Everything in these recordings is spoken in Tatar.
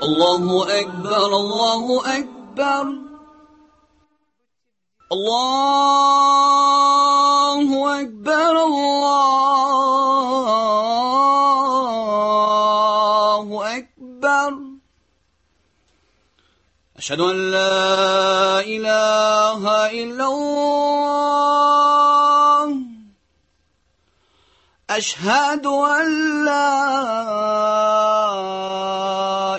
الله أكبر الله أكبر الله أكبر الله أكبر أشهد أن لا إله إلا الله أشهد أن لا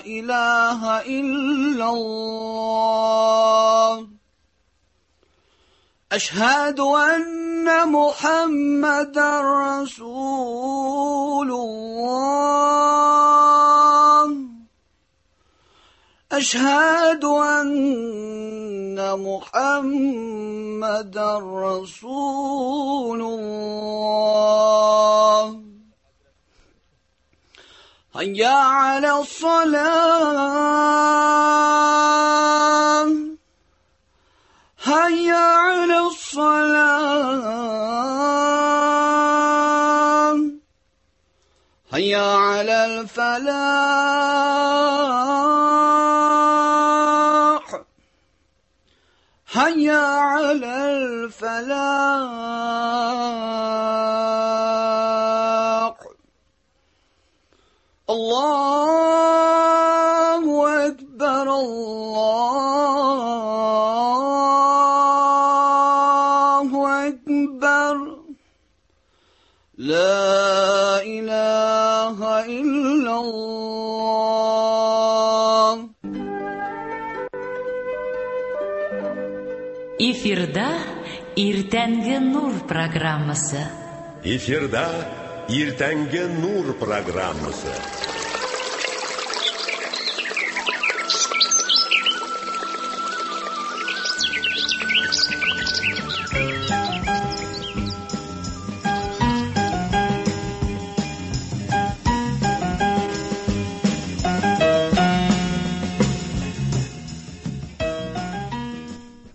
إله إلا الله أشهد أن محمدا رسول الله أشهد أن محمدا رسول الله هيا على الصلاة هيا على الصلاة هيا على الفلاح هيا على الفلاح الله أكبر الله أكبر لا إله إلا الله. Эфирда Иртәнге Нур программасы. Эфирда Иртәнге Нур программасы.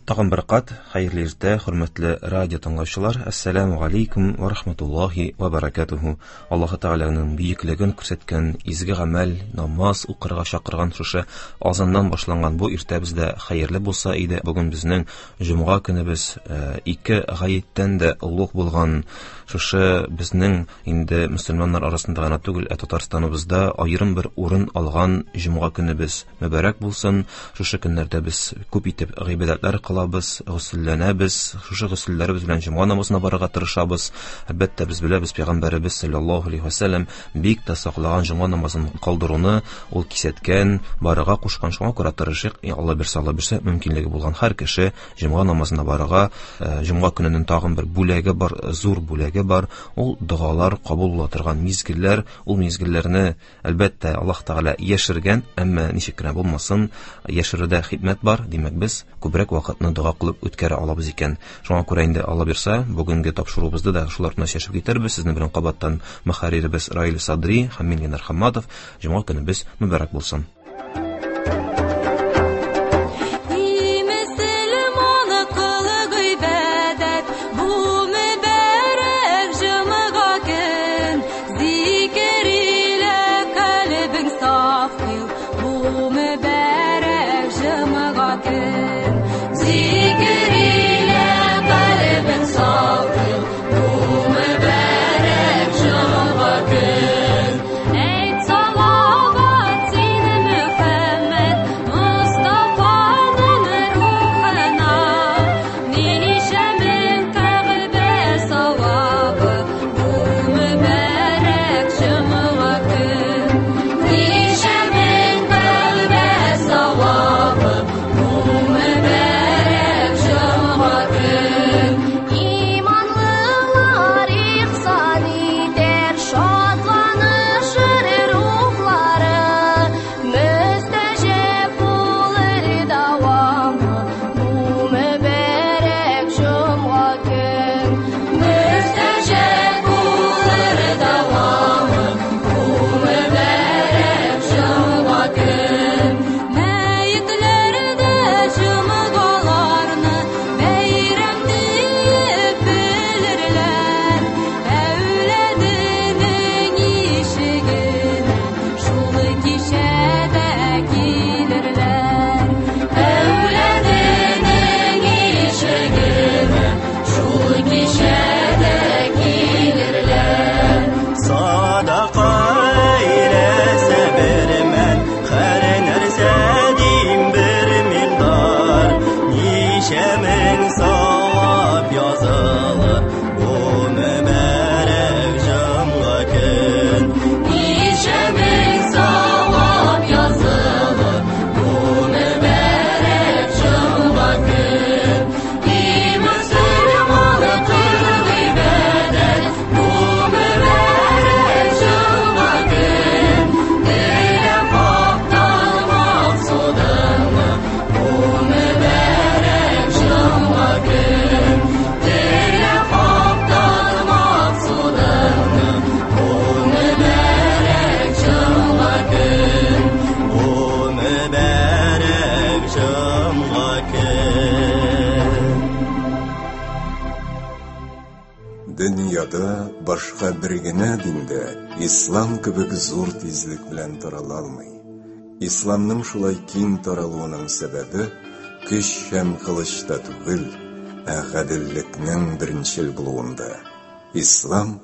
Тагын бер кат хәерле иртә, хөрмәтле радио тыңлаучылар. Ассаламу алейкум ва рахматуллахи ва баракатуху. Аллаһ Тәгаләнең бөеклеген күрсәткән изге гамәл, намаз укырга чакырган шушы азаннан башланган бу иртәбез дә хәерле булса иде. Бүген безнең җомга көнебез, ике гаеттән дә олуг булган шушы безнең инде мөселманнар арасында гына түгел, ә Татарстаныбызда аерым бер урын алган җомга көнебез мөбарәк булсын. Шушы көннәрдә без күп итеп гыйбадәтләр кылабыз, гөселләнәбез, шушы гөселләребез белән җомга намазына барырга тырышабыз. Әлбәттә, без беләбез, пәйгамбәребез саллаллаһу алейһи ва сәлләм бик тә саклаган җомга намазын калдыруны, ул кисәткән, барырга кушкан. Шуңа күрә тырышыйк, Алла бирсә, Алла бирсә, мөмкинлеге булган һәр кеше җомга намазына барырга. Җомга көненең тагын бер бүләге бар, зур бүләге бар, ул догалар кабул була торган мизгелләр. Ул мизгелләрне әлбәттә Аллаһ Тәгалә яшергән, әмма ничек кенә булмасын, яшерүдә хикмәт бар. Димәк, без күбрәк вакытны дога кылып үткәрә алабыз икән. Шуңа күрә инде Алла бирсә, бүгенге тапшыруыбызды да шулар белән чәчеп китербез. Сезнең белән кабаттан мөхәрриребез Раил Садри һәм мин Ленар Хамматов. Җомга көнебез мөбарәк булсын. Ey salavat seni Дөньяда башка бер генә дин дә ислам кебек зур тизлек белән тарала алмый. Исламның шулай киң таралуының сәбәбе көч һәм кылычта түгел, ә гаделлекнең беренчел булуында. Ислам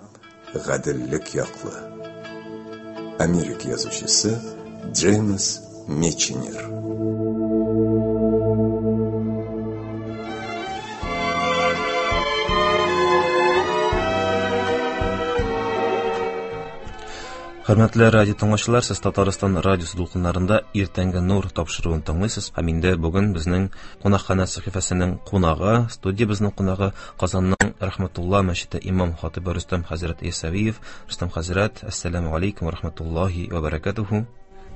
гаделлек яклы. Америка язучысы Джеймс Миченер. Хөрмәтле радио тыңлаучылар, сез Татарстан радиосы дулкыннарында Иртәнге нур тапшыруын тыңлыйсыз. Һәм инде бүген безнең кунакханә сәхифәсенең кунагы, студиябезнең кунагы Казанның Рәхмәтулла мәчете имам хатибы Рөстәм хәзрәт Ясәвиев. Рөстәм хәзрәт, әссәламу алейкум ва рахматуллаһи ва баракатуху.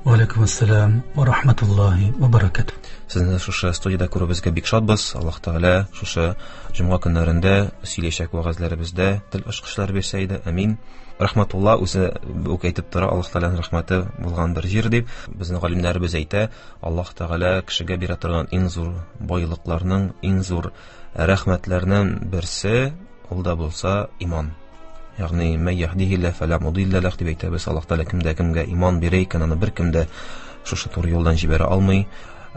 Ва алейкум ассалам ва рахматуллаһи ва баракатух. Сезне шушы студиядә күрүебезгә бик шатбыз. Аллаһ Тәгалә шушы җомга көннәрендә сөйләячәк вәгазьләребездә тел ачкычлар бирсә иде. Амин. Рахматулла үзе үк әйтеп тора, Аллаһ Тәгаләнең рәхмәте булган бер җир дип. Безнең галимнәребез әйтә, Аллаһ Тәгалә кешегә бирә торган иң зур байлыкларның, иң зур рәхмәтләрнең берсе ул да булса иман. Ягъни мә яһдихилла фәлә мудилла ләх дип әйтәбез. Аллаһ Тәгалә кемдә кемгә иман бирә икән, аны беркем дә шушы туры юлдан җибәрә алмый.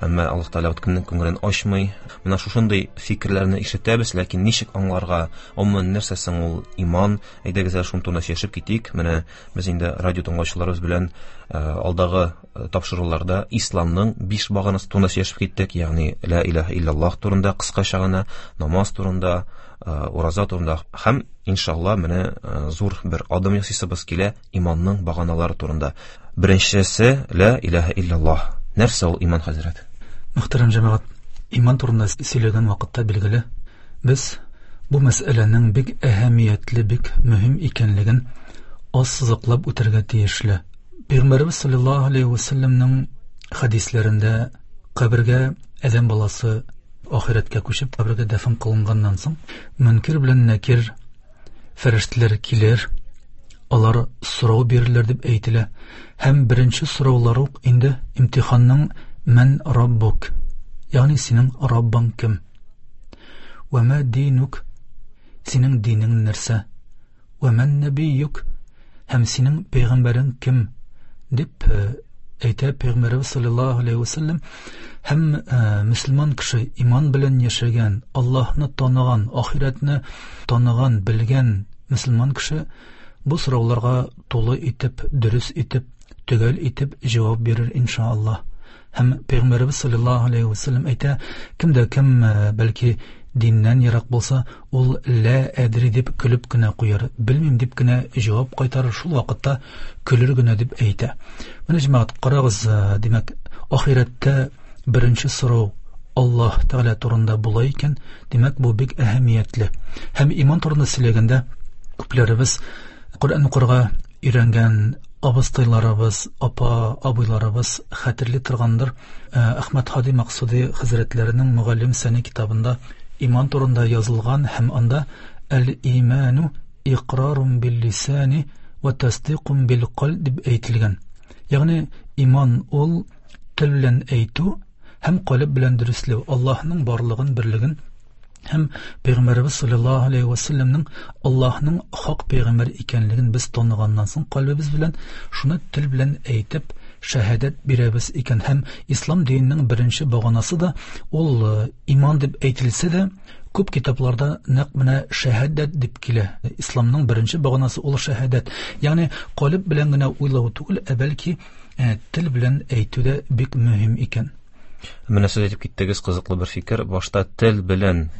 Әмма Аллаһ Тәгалә үткеннең күңелен ачмый. Менә шушындый фикерләрне ишетәбез, ләкин ничек аңларга? Гомумән нәрсә соң ул иман? Әйдәгез әле шуның турында сөйләшеп китик. Менә без инде радио тыңлаучыларыбыз белән алдагы тапшыруларда исламның биш баганасы турында сөйләшеп киттек, ягъни ла илаһа иллаллаһ турында кыскача гына, намаз турында, ураза турында һәм иншалла менә зур бер адым ясыйсыбыз килә иманның баганалары турында. Беренчесе ла илаһа иллаллаһ. Нәрсә ул иман, хәзрәт? Мөхтәрәм җәмәгать, иман турында сөйләгән вакытта билгеле, без бу мәсьәләнең бик әһәмиятле, бик мөһим икәнлеген ассызыклап үтәргә тиешле. Пәйгамбәребез саллаллаһу алейһи ва сәлләмнең хәдисләрендә кабергә адәм баласы ахирәткә күчеп кабергә дәфен кылынганнан соң Мөнкир белән Нәкир фәрештәләр килер, алар сорау бирерләр дип әйтелә. Һәм беренче сораулар ук инде имтиханның мән раббук, ягъни синең Раббың кем? Вә мә динук, синең динең нәрсә? Вә мән нәбиюк, һәм синең пәйгамбәрең кем? дип әйтә Пәйгамбәребез саллаллаһу алейһи ва сәлләм. Һәм мөселман кеше иман белән яшәгән, Аллаһны таныган, ахирәтне таныган, белгән мөселман кеше бу сорауларга тулы итеп, дөрес итеп, төгәл итеп җавап бирер иншааллаһ. Һәм Пәйгамбәребез саллаллаһу алейһи ва сәлләм әйтә, кем дә кем бәлки диннән ерак булса, ул лә әдри дип көлеп кенә куяр, белмим дип кенә җавап кайтарыр, шул вакытта көлер генә дип әйтә. Менә җәмәгать, карагыз, димәк, ахирәттә беренче сорау Аллаһ Тәгалә турында була икән, димәк, бу бик әһәмиятле. Һәм иман турында сөйләгәндә күпләребез Коръән укырга өйрәнгән абыстайларыбыз, апа, абыйларыбыз хәтерли торгандыр. Әхмәд Һади Максуди хәзрәтләренең Мөгаллим Сәни китабында иман турында язылган һәм анда әл-иману иқрарун бил-лисани ва тасдиқун бил-қалб дип әйтелгән. Ягъни иман ул тел белән әйтү һәм калеб белән дөресләү, Аллаһның барлыгын, берлеген һәм Пәйгамбәребез саллаллаһу алейһи ва сәлләмнең Аллаһның хак пәйгамбәр икәнлеген без таныганнан соң калбебез белән шуны тел белән әйтеп шәһадәт бирәбез икән. Һәм ислам диненең беренче баганасы да ул иман дип әйтелсә дә, күп китапларда нәкъ менә шәһадәт дип килә. Исламның беренче баганасы ул шәһадәт. Ягъни калеб белән генә уйлау түгел, ә бәлки тел белән әйтү дә бик мөһим икән. Менә сез әйтеп киттегез кызыклы бер фикер. Башта тел белән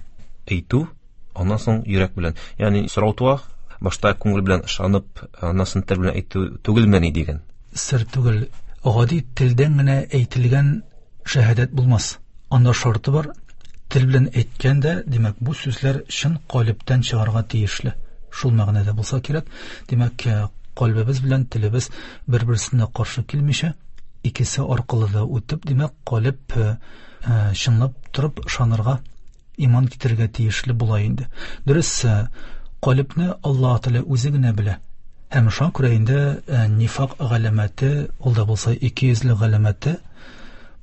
әйтү, аннан соң йөрәк белән. Ягъни сорау туа, башта күңел белән ышанып, аннан соң тел белән әйтү түгелмени дигән. Сер түгел. Гади телдән генә әйтелгән шәһадәт булмас. Анда шарты бар. Тел белән әйткәндә, димәк, бу сүзләр чын калебтән чыгарга тиешле. Шул мәгънәдә булса кирәк. Димәк, калбебез белән телебез бер-берсенә каршы килмичә, икесе аркылы да үтеп, димәк, калеб чынлап торып ышанырга, иман китерергә тиешле була инде. Дөрес, калебне Аллаһ Тәгалә үзе генә белә. Һәм шуңа күрә инде нифак галәмәте, ул да булса икейөзле галәмәте,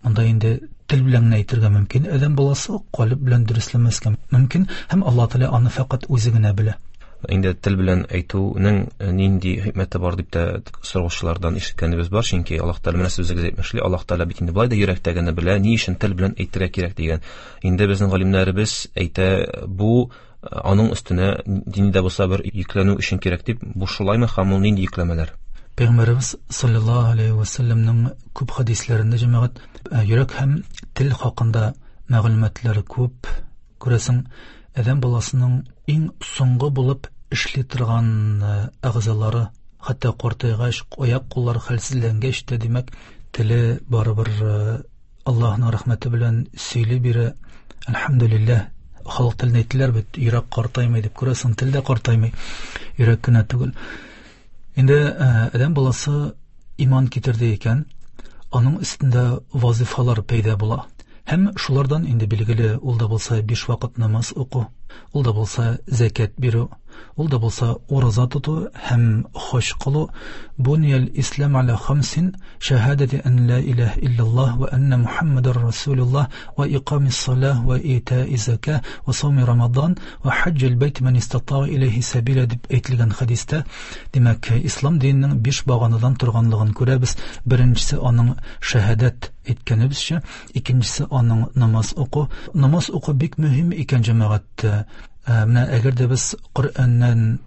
монда инде тел белән генә әйтергә мөмкин, адәм баласы калеб белән дөресләмәскә мөмкин, һәм Аллаһ Тәгалә аны фәкать үзе генә белә. Инде тел белән әйтүнең нинди хикмәте бар дип тә сораучылардан ишеткәнебез бар, чөнки Аллаһ Тәгалә менә сүзегез әйтмешли, Аллаһ Тәгалә бит инде болай да йөрәктәгене белә, ни өчен тел белән әйтергә кирәк дигән. Инде безнең галимнәребез әйтә, бу аның өстенә дини дә булса бер йөкләнү өчен кирәк дип, бу шулаймы һәм ул нинди йөкләмәләр? Пәйгамбәребез саллаллаһу алейхи ва сәлләмнең күп хәдисләрендә җәмәгать йөрәк һәм тел хакында мәгълүматлар күп. Күрәсең, адәм баласының иң соңгы булып эшли торган әгъзалары, хәтта картайгач, аяк-куллар хәлсезләнгәч тә, димәк, теле барыбер Аллаһның рәхмәте белән сөйли бирә. Әлхәмдүлилләһ. Халык телен әйттеләр бит, йөрәк картаймый дип, күрәсең, тел дә картаймый, йөрәк кенә түгел. Инде адәм баласы иман китерде икән, аның өстендә вазифалар пәйда була. Һәм шулардан инде билгеле, ул да булса биш вакыт намаз уку, ул да булса зәкят бирү, ул да булса ураза тоту һәм хаҗ кылу. Буниял ислам аля хамсин, шәһадәти ан ла илаһ иллаллаһ ва анна Мухаммадар расулуллаһ ва икамис салах ва итаи зака ва сауми рамадан ва хаҗҗил бәйт ман истатаа иләйһи сәбиля дип әйтелгән хәдистә, димәк, ислам диненең биш баганадан торганлыгын күрәбез. Беренчесе аның шәһадәт әйткәнебезчә, икенчесе аның намаз уку. Намаз уку бик мөһим икән, җәмәгать. Менә әгәр дә без Коръәннән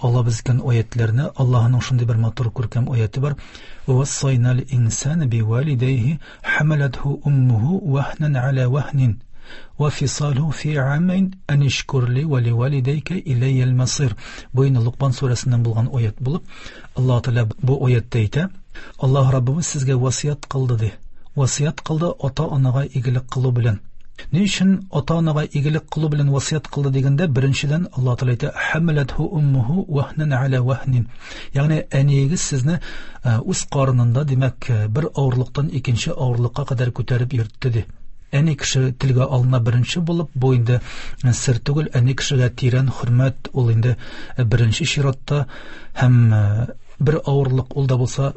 алабыз икән аятларны, Аллаһның шундый бер матур күркәм аяты бар. Вассайнал инсана бивалидайхи хамалатху уммуху вахнан аля вахнин ва фисалху фи амайн ан ишкур ли ва ливалидайка илайял масир. Бу инде Лукман сүрәсеннән булган аят булып, Аллаһ Тәгалә бу аятта әйтә: Аллаһ Раббыбыз сезгә васыять кылды ди. Васыять кылды ата-анага игелек кылу белән. Ни өчен ата-анага игелек кылу белән васыять кылды дигәндә, беренчедән Аллаһ Тәгалә әйтә: Хамалатху уммуху вахнан аля вахнин. Ягъни әниегез сезне үз карынында, димәк, бер авырлыктан икенче авырлыкка кадәр күтәреп йөртте ди. Әни кеше телгә алына беренче булып, бу инде сер түгел, әни кешегә тирән хөрмәт ул инде беренче чиратта, һәм бер авырлык ул да булса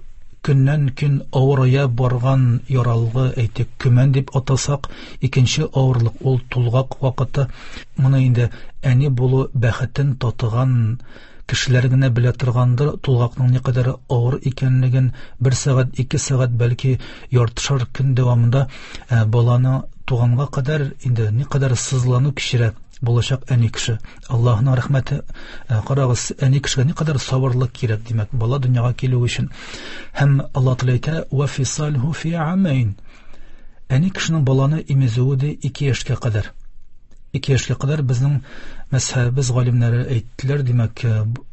көннән көн авырая барган яралгы, әйтик, көмән дип атасак, икенче авырлык ул тулгак вакыты. Моны инде әни булу бәхетен татыган кешеләр генә белә торгандыр, тулгакның никадәр авыр икәнлеген. Бер сәгать, ике сәгать, бәлки яртышар көн дәвамында баланы туганга кадәр инде никадәр сызлану кичерә булачак әни кеше. Аллаһның рәхмәте, карагыз, әни кешегә никадәр сабырлык кирәк, димәк, бала дөньяга килү өчен. Һәм Аллаһ Тәгалә әйтә: Ва фисалху фи амайн. Әни кешенең баланы имезүе дә 2 яшькә кадәр. 2 яшькә кадәр безнең мәзһәбебез галимнәре әйттеләр, димәк,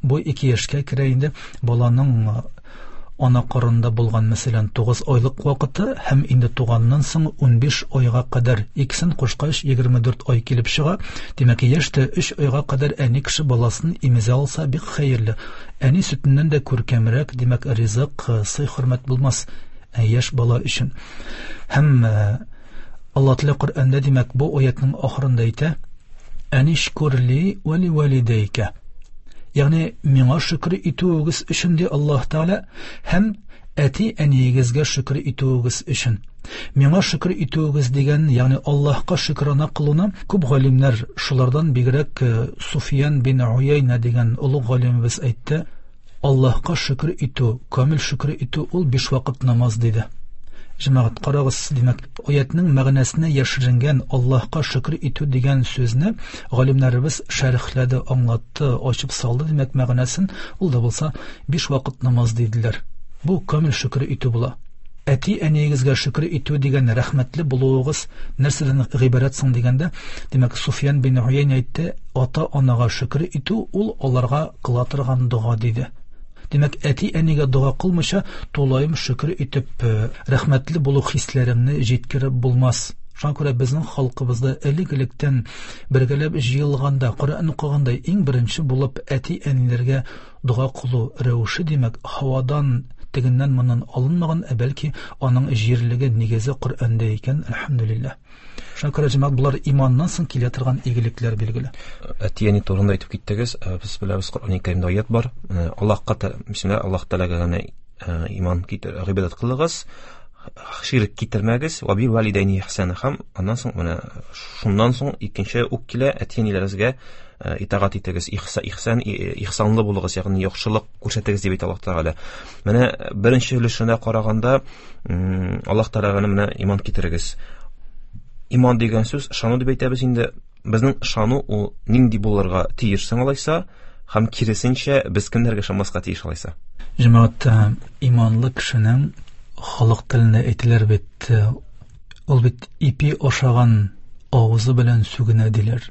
бу 2 яшькә керә инде баланың ана карынында булган, мәсәлән, 9 айлык вакыты һәм инде туганнан соң 15 айга кадәр, икесен кушкач 24 ай килеп чыга. Димәк, яшьтә 3 айга кадәр әни кеше баласын имезә алса бик хәерле. Әни сөтеннән дә күркәмрәк, димәк, ризык, сый-хөрмәт булмас яшь бала өчен. Һәм Аллаһ Тәгалә Коръәндә, димәк, бу аятның ахырында әйтә: Әнишкурли ва ливалидайка. Ягъни миңа шөкер итүегез өчен ди Аллаһ Тәгалә, һәм әти-әниегезгә шөкер итүегез өчен. Миңа шөкер итүегез дигән, ягъни Аллаһка шөкрана кылуны күп галимнәр, шулардан бигрәк Суфиян бин Уяйна дигән олуг галимебез әйтте: Аллаһка шөкер итү, камил шөкер итү ул 5 вакыт намаз диде. Җәмәгать, карагыз, димәк, аятның мәгънәсенә яшеренгән Аллаһка шөкер итү дигән сүзне галимнәребез шәрехләде, аңлатты, ачып салды, димәк, мәгънәсен ул да булса 5 вакыт намаз диделәр. Бу камил шөкер итү була. Әти-әниегезгә шөкер итү дигән рәхмәтле булуыгыз нәрсәдән гыйбарәт соң дигәндә, димәк, Суфиян бин Уяйна әйтте: ата-анага шөкер итү ул аларга кыла торган дога диде. Димәк, әти-әнигә дога кылмыйча тулаем шөкер итеп, рәхмәтле булу хисләреңне җиткереп булмас. Шуңа күрә безнең халкыбызда элек-электән бергәләп җыелганда, Коръән укыганда иң беренче булып әти-әниләргә дога кылу рәвеше, димәк, һавадан тегеннән моннан алынмаган, ә бәлки аның җирлеге, нигезе Коръәндә икән, әлхәмдүлилләһ. Шуңа күрә, җәмәгать, болар иманнан соң килә торган игелекләр билгеле. Әти-әни турында әйтеп киттегез. Без беләбез, Коръән Кәримдә аят бар. Аллаһка бисмилла, Аллаһ Тәгаләгә генә иман китер, гыйбадәт кылыгыз, ширк китермәгез, ва бил валидайни ихсана. Һәм аннан соң менә шуннан соң икенче үк килә әти-әниләрегезгә итагать итегез, ихсан, ихсанлы булыгыз, ягъни яхшылык күрсәтегез дип әйтә Аллаһ Тәгалә. Менә беренче өлешенә караганда, Аллаһ Тәгаләгә менә иман китерегез. Иман дигән сүз ышану дип әйтәбез инде. Безнең ышану ул нинди булырга тиеш соң алайса, һәм киресенчә без кемнәргә ышанмаска тиеш алайса? Җәмәгать, иманлы кешенең халык телендә әйтелер бит, ул бит ипи ашаган авызы белән сүгенә диләр.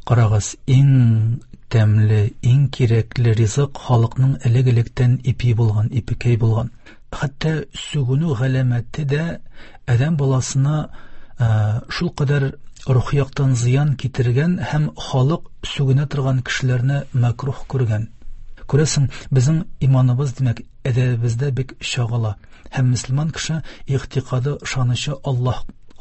Карагыз, иң тәмле, иң кирәкле ризык халыкның элек-электән ипи булган, ипекәй булган. Хәтта сүгенү галәмәте дә адәм баласына шул кадәр рухи яктан зыян китергән һәм халык сүгенә торган кешеләрне мәкрух күргән. Күрәсең, безнең иманыбыз, димәк, әдәбебездә бик чагыла. Һәм мөселман кеше игътикады, ышанычы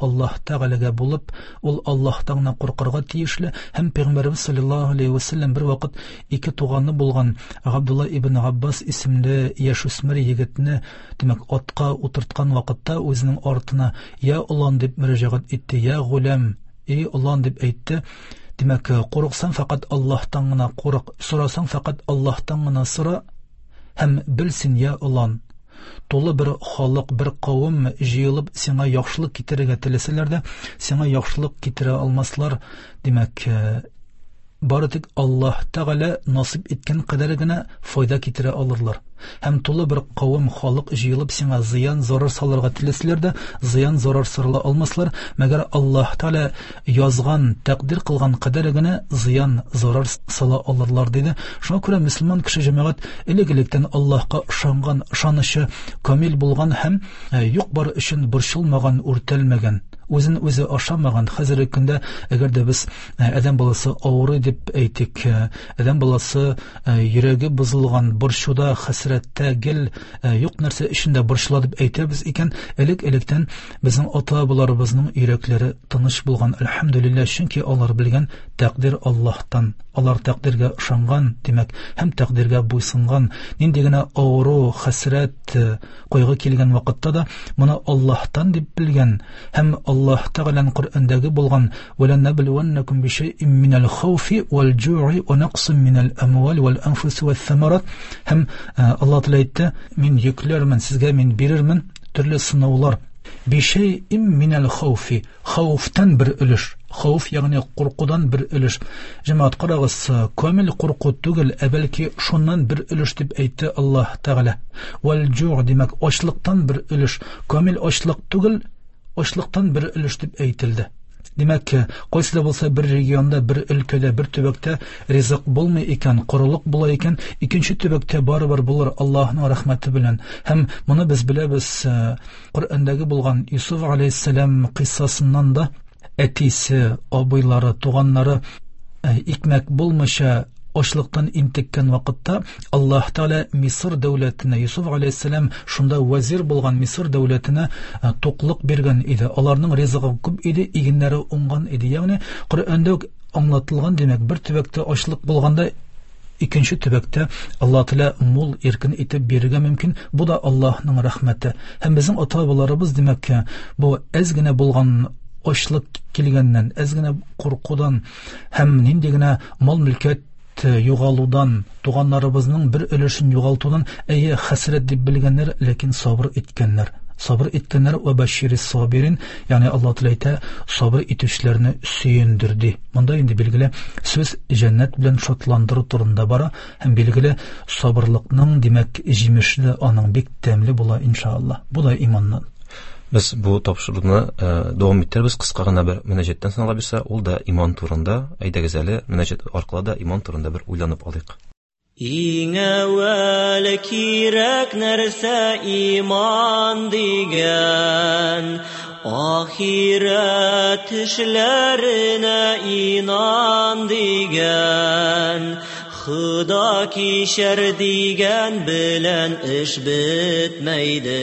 Аллаһ Тәгаләгә булып, ул Аллаһтан гына куркырга тиешле. Һәм Пәйгамбәребез саллаллаһу алейһи ва сәлләм бер вакыт ике туганы булган Габдулла ибн Габбас исемле яшүсмер егетне, димәк, атка утырткан вакытта үзенең артына «Я олан» дип мөрәҗәгать итте, «Я гулям», «Эй олан» дип әйтте. Димәк, курыксаң фәкать Аллаһтан гына курык, сорасаң фәкать Аллаһтан гына сора һәм белсен, я олан, тулы бер халык, бер кавым җыелып сиңа яхшылык китерергә теләсәләр дә, сиңа яхшылык китерә алмаслар. Димәк, бары тик Аллаһ Тәгалә насыйп иткән кадәр генә файда китерә алырлар. Һәм тулы бер кавым халык җыелып сиңа зыян, зарар салырга теләсәләр дә, зыян, зарар сала алмаслар, мәгәр Аллаһ Тәгалә язган, тәкъдир кылган кадәр генә зыян, зарар сала алырлар, диде. Шуңа күрә мөселман кеше җәмәгать элек-электән Аллаһка ышанган, ышанычы камил булган һәм юк бар өчен борчылмаган, үртәлмәгән, үзен үзе ашамаган. Хәзерге көндә, әгәр дә без адәм баласы авырый дип әйтик, адәм баласы йөрәге бозылган, борчуда, хәсрәттә, гел юк нәрсә өчен дә борчыла дип әйтәбез икән, элек-электән безнең ата-бабаларыбызның йөрәкләре тыныч булган, әлхәмдүлилләһ, чөнки алар белгән тәкъдир Аллаһтан. Алар тәкъдиргә ышанган, димәк, һәм тәкъдиргә буйсынган. Нинди генә авыру, хәсрәт, кайгы килгән вакытта да моны Аллаһтан дип белгән һәм Аллаһ Тәгаләнең Коръәндәге булган «Вәләнәблүәннәкүм бишәйин минәл хауфи вәл җуи вә нәкъсин минәл әмвал вәл әнфуси вәс самарат». Һәм Аллаһ Тәгалә әйтте: «Мин йөкләрмен, сезгә мин бирермен төрле сынаулар». Бишәйин минәл хауфи, хауфтан бер өлеш, хауф ягъни куркудан бер өлеш. Җәмәгать, карагыз, камил курку түгел, ә бәлки шуннан бер өлеш дип әйтте Аллаһ Тәгалә. Вәл җу', димәк, ачлыктан бер өлеш. Камил ачлык түгел, ачлыктан бер өлеш дип әйтелде. Димәк, кайсы да булса бер регионда, бер өлкәдә, бер төбәктә ризык булмый икән, корылык була икән, икенче төбәктә барыбер булыр Аллаһның рәхмәте белән. Һәм моны без беләбез, Коръәндәге булган Юсуф алейһиссәлам кыйссасыннан да әтисе, абыйлары, туганнары икмәк булмыйча ачлыктан интеккән вакытта Аллаһ Тәгалә Мисыр дәүләтенә, Юсуф алейһиссәлам шунда вәзир булган Мисыр дәүләтенә туклык биргән иде. Аларның ризыгы күп иде, игеннәре уңган иде. Ягъни Коръәндә үк аңлатылган, димәк, бер төбәктә ачлык булганда икенче төбәктә Аллаһ Тәгалә мул иркен итеп бирергә мөмкин. Бу да Аллаһның рәхмәте. Һәм безнең ата-бабаларыбыз, димәк, бу әз генә булган ачлык килгәннән, әз генә куркудан һәм нинди генә мал-мөлкәт югалудан, туганнарыбызның бер өлешен югалтудан, әйе, хәсрәт дип белгәннәр, ләкин сабыр иткәннәр. Сабыр иткәннәр вә бәшири сабирин, ягъни Аллаһ Тәгалә әйтә, сабыр итүчеләрне сөендер ди. Монда инде билгеле сүз җәннәт белән шатландыру турында бара һәм билгеле сабырлыкның, димәк, җимеше дә аның бик тәмле була иншалла. Бу да иманнан. Без бу тапшыруны дәвам иттербез кыска гына бер мөнәҗәттән соң, алла бирсә, ул да иман турында. Әйдәгез әле, мөнәҗәт аркылы да иман турында бер уйланып алыйк. Иң әүвәл кирәк нәрсә иман дигән, ахирәт эшләренә инан дигән, Худа кичер дигән белән эш бетмәйде.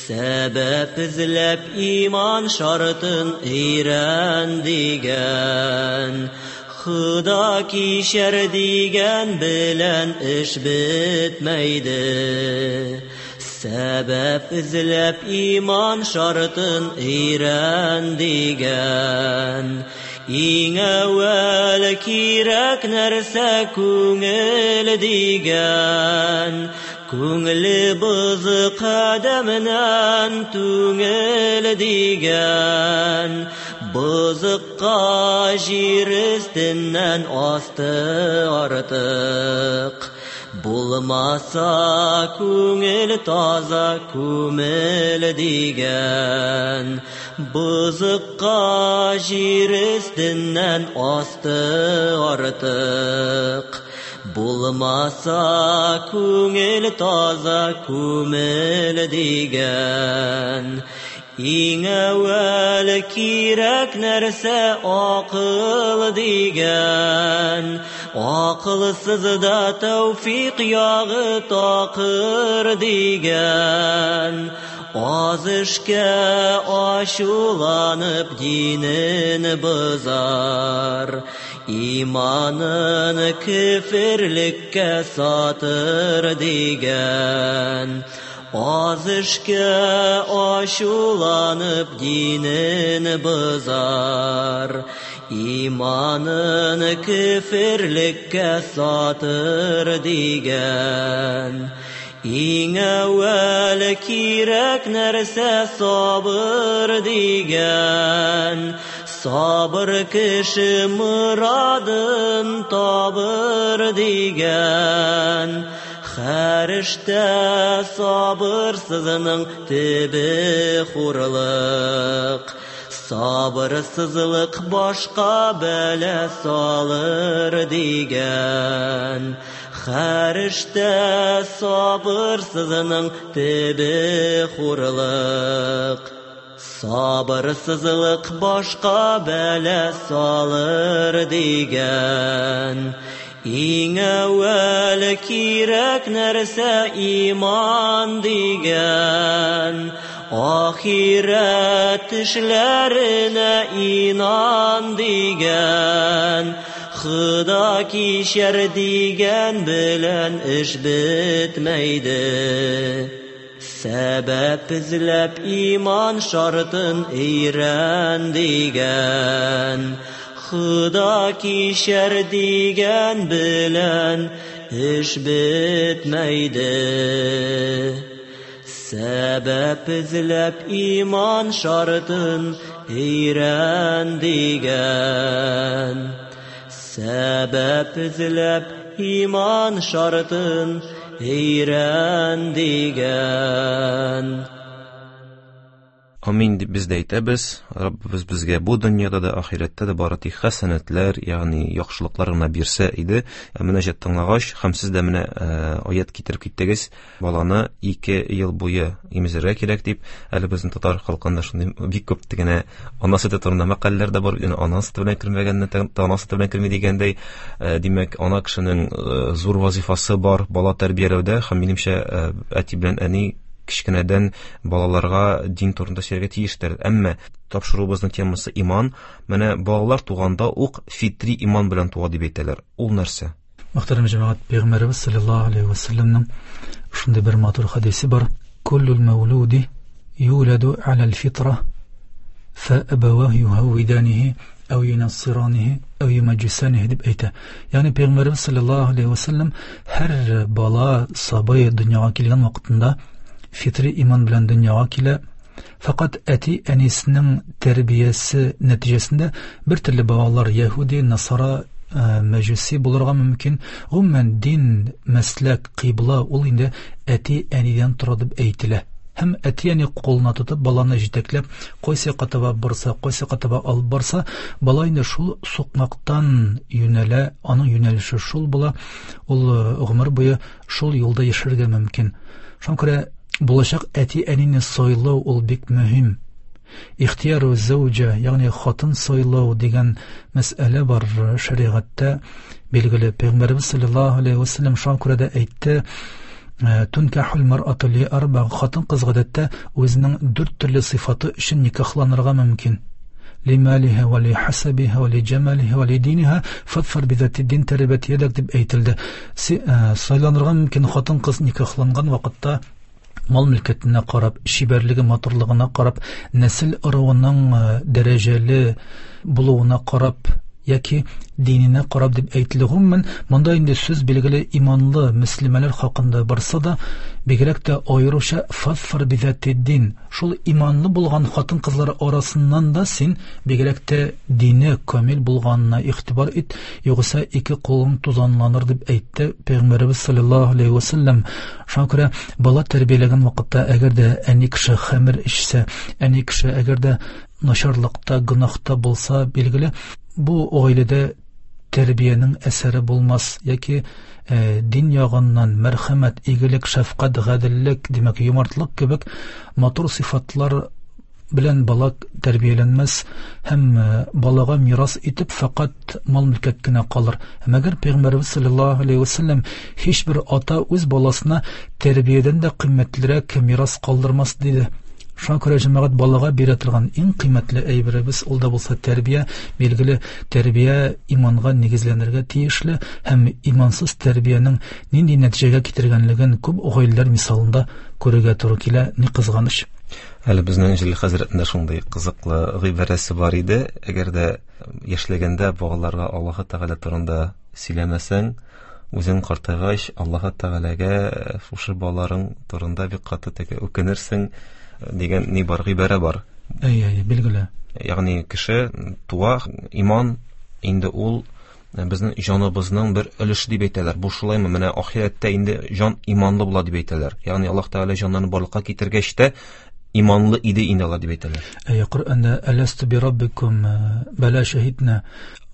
Сәбәп эзләп иман шартын өйрән дигән, Худа кичер дигән белән эш бетмәйде. Сәбәп эзләп иман шартын өйрән дигән. Иң әүвәл кирәк нәрсә күңел дигән. Күңеле бозык адәмнән түңел дигән. Бозыкка җир өстеннән асты артык. Булмаса күңел таза күмел дигән. Бозыкка җир өстеннән асты артык. Булмаса күңел таза күмел дигән. Иң әүвәл кирәк нәрсә акыл дигән. Акылсыз да тәүфик ягы такыр дигән. Аз эшкә ачуланып динен бозар. Иманын көферлеккә сатыр дигән. Аз эшкә ачуланып динен бозар. Иманын көферлеккә сатыр дигән. Иң әүвәл кирәк нәрсә сабыр дигән. Сабыр кеше мурадын табыр дигән. Һәр эштә сабырсызның төбе хурлык. Сабырсызлык башка бәла салыр дигән. Һәр эштә сабырсызның төбе хурлык. Сабырсызлык башка бәла салыр дигән. Иң әүвәл кирәк нәрсә иман дигән. Ахирәт эшләренә инан дигән. Худа кичер дигән белән эш бетмәйде. Сәбәп эзләп иман шартын өйрән дигән. Худа кичер дигән белән эш бетмәйде. Сәбәп эзләп иман шартын өйрән дигән. Сәбәп эзләп иман шартын өйрән дигән. Амин дип без дә әйтәбез. Раббыбыз безгә бу дөньяда да, ахирәттә дә бары тик хәсәнәтләр, ягъни яхшылыклар гына бирсә иде. Ә мөнәҗәт тыңлагач, һәм сез дә менә аят китереп киттегез, баланы 2 ел буе имезергә кирәк дип. Әле безнең татар халкында шундый бик күп генә ана сөте турында мәкальләр дә бар. Ягъни ана сөте белән кермәгәнне ана сөте белән керми дигәндәй. Димәк, ана кешенең зур вазифасы бар бала тәрбияләүдә, һәм минемчә, әти белән әни кечкенәдән балаларга дин турында сөйләргә тиештер. Әмма тапшыруыбызның темасы иман. Менә балалар туганда ук фитри иман белән туа дип әйтәләр. Ул нәрсә? Мөхтәрәм җәмәгать, Пәйгамбәребез саллаллаһу алейһи ва сәлләмнең шундый бер матур хадисе бар. Куллул мәүлүди юладу аля фитра фа абаваһу юһавиданихи әү юнассиранихи әү юмаҗисанихи дип әйтә. Ягъни Пәйгамбәребез саллаллаһу алейһи ва сәлләм һәр бала сабый дөньяга килгән вакытында фитри иман белән дөньяга килә. Фақат әти әнисенең тәрбиясе нәтиҗәсендә бер төрле балалар яһүди, насара, мәҗүси булырга мөмкин. Гомумән дин, мәсләк, кыйбла ул инде әти әнидән тора дип әйтелә. Һәм әти әни кулына тотып баланы җитәкләп, кайсы якка таба барса, кайсы якка таба алып барса, бала инде шул сукмактан юнәлә, аның юнәлеше шул була. Ул гомер буе шул юлда яшәргә мөмкин. Шуңа күрә булачак әти-әнине сайлау ул бик мөһим. Ихтияру зәүҗә, ягъни хатын сайлау дигән мәсьәлә бар шәригатьтә. Билгеле, Пәйгамбәребез саллаллаһу алейһи ва сәлләм шуңа күрә дә әйтте, Тункахул мар'ату ли арба, хатын-кыз гадәттә үзенең дүрт төрле сыйфаты өчен никахланырга мөмкин. Лималиха ва ли хасабиха ва ли джамалиха ва ли диниха фадфар бидати дин тарибат ядак дип әйтелде. Сайланырга мөмкин хатын-кыз никахланган вакытта Мал мөлкәтенә карап, чибәрлеге, матурлыгына карап, нәсел ыруының дәрәҗәле булуына карап яки диненә карап дип әйтелә. Гомумән, монда инде сүз билгеле иманлы мөслимәләр хакында барса да, бигрәк тә аеруча фазфар бидәтиддин, шул иманлы булган хатын-кызлар арасыннан да син бигрәк тә дине камил булганына игътибар ит, югыйсә ике кулың тузанланыр дип әйтте Пәйгамбәребез саллаллаһу алейһи ва саллям. Шуңа күрә бала тәрбияләгән вакытта әгәр дә әни кеше хәмер эчсә, әни кеше әгәр дә начарлыкта, гөнаһта булса, билгеле, бу гаиләдә тәрбиянең әсәре булмас яки дин ягыннан мәрхәмәт, игелек, шәфкать, гаделлек, димәк, юмартлык кебек матур сыйфатлар белән бала тәрбияләнмәс һәм балага мирас итеп фәкать мал-мөлкәт кенә калыр. Мәгәр Пәйгамбәребез саллаллаһу алейһи ва саллям һичбер ата үз баласына тәрбиядән дә кыйммәтлерәк мирас калдырмас диде. Шуңа күрә җәмәгать балага бирә торган иң кыйммәтле әйберебез ул да булса тәрбия. Билгеле, тәрбия иманга нигезләнергә тиешле һәм имансыз тәрбиянең нинди нәтиҗәгә китергәнлеген күп гаиләләр мисалында күрергә туры килә, ни кызганыч. Әле безнең Җәлил хәзрәтнең шундый кызыклы гыйбарәсе бар иде. Әгәр дә яшьлегендә балаларга Аллаһы Тәгалә турында сөйләмәсәң, үзең картайгач Аллаһы Тәгаләгә шушы балаларың турында бик каты теге үкенерсең дигән ни бар, гыйбарә бар. Әйе, әйе, билгеле. Ягъни кеше туа, иман инде ул безнең җаныбызның бер өлеше дип әйтәләр. Бу шулаймы? Менә ахирәттә инде җан иманлы була дип әйтәләр. Ягъни Аллаһ Тәгалә җаннарны барлыкка китергәч тә иманлы иде инде алар дип әйтәләр. Әйе, Коръәндә Әләсту би раббикум бәлә шәһиднә.